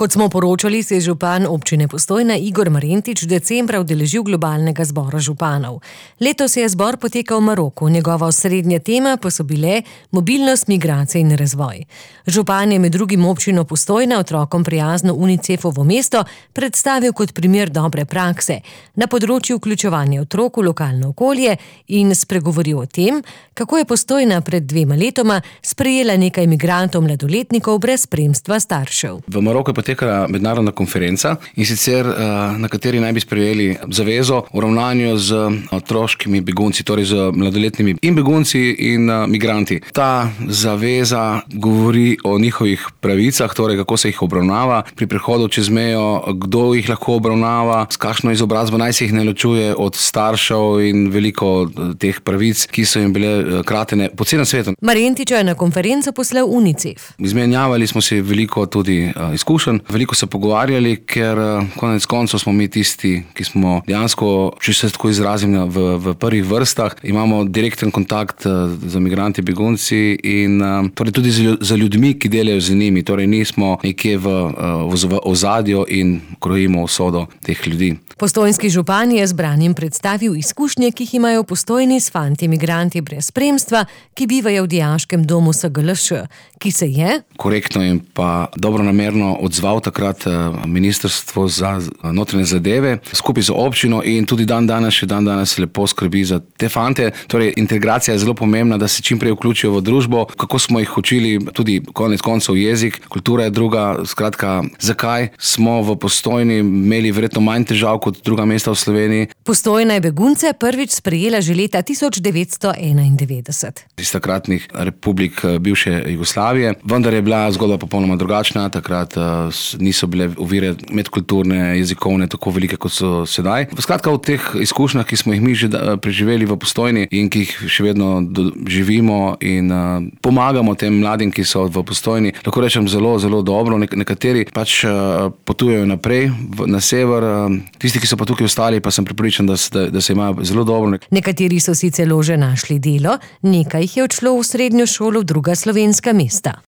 Kot smo poročali, se je župan občine Postojna Igor Marentič decembra udeležil globalnega zbora županov. Letos je zbor potekal v Maroku, njegova osrednja tema pa so bile mobilnost, migracije in razvoj. Župan je med drugim občino Postojna otrokom prijazno UNICEF-ovo mesto predstavil kot primer dobre prakse na področju vključevanja otrok v lokalno okolje in spregovoril o tem, kako je Postojna pred 2 letoma sprejela nekaj migrantov mladoletnikov brez spremstva staršev. V Maroku je potekala mednarodna konferenca, in sicer na kateri naj bi sprejeli zavezo o ravnanju z otroškimi begunci, torej z mladoletnimi in begunci in migranti. Ta zaveza govori o njihovih pravicah, torej kako se jih obravnava pri prehodu čez mejo, kdo jih lahko obravnava, s kakšno izobrazbo naj se jih ne ločuje od staršev in veliko teh pravic, ki so jim bile kratene po celem svetu. Marentiča je na konferenco poslal UNICEF. Izmenjavali smo si veliko tudi izkušenj, veliko se pogovarjali, ker konec koncev smo mi tisti, ki smo dejansko, če se tako izrazim, v prvih vrstah. Imamo direkten kontakt z migranti, begunci in torej tudi za ljudmi, ki delajo z njimi. Torej nismo nekje v ozadju in krojimo usodo teh ljudi. Postojnski župan je zbranim predstavil izkušnje, ki jih imajo v Postojni s fanti migranti brez spremstva, ki bivajo v dijaškem domu SGLŠ, ki se je korektno in pa dobronamerno odzval takrat Ministrstvo za notranje zadeve skupaj z občino in tudi dan danes lepo skrbi za te fante. Torej integracija je zelo pomembna, da se čim prej vključijo v družbo, kako smo jih učili, tudi konec koncev jezik, kultura je druga, skratka, zakaj smo v Postojni imeli verjetno manj težav kot druga mesta v Sloveniji. Postojna je begunce prvič sprejela že leta 1991. Iz takratnih republik bivše Jugoslavije, vendar je bila zgodba popolnoma drugačna. Takrat niso bile ovire medkulturne, jezikovne tako velike, kot so sedaj. Skratka, v teh izkušnjah, ki smo jih mi že preživeli v Postojni in ki jih še vedno živimo in pomagamo tem mladim, ki so v Postojni, lahko rečem zelo, zelo dobro. Nekateri pač potujejo naprej na sever, tisti, ki so pa tukaj ostali, pa sem prepričan, da se imajo zelo dobro. Nekateri so si celo že našli delo, nekaj jih je odšlo v srednjo šolo v druga slovenska mesta.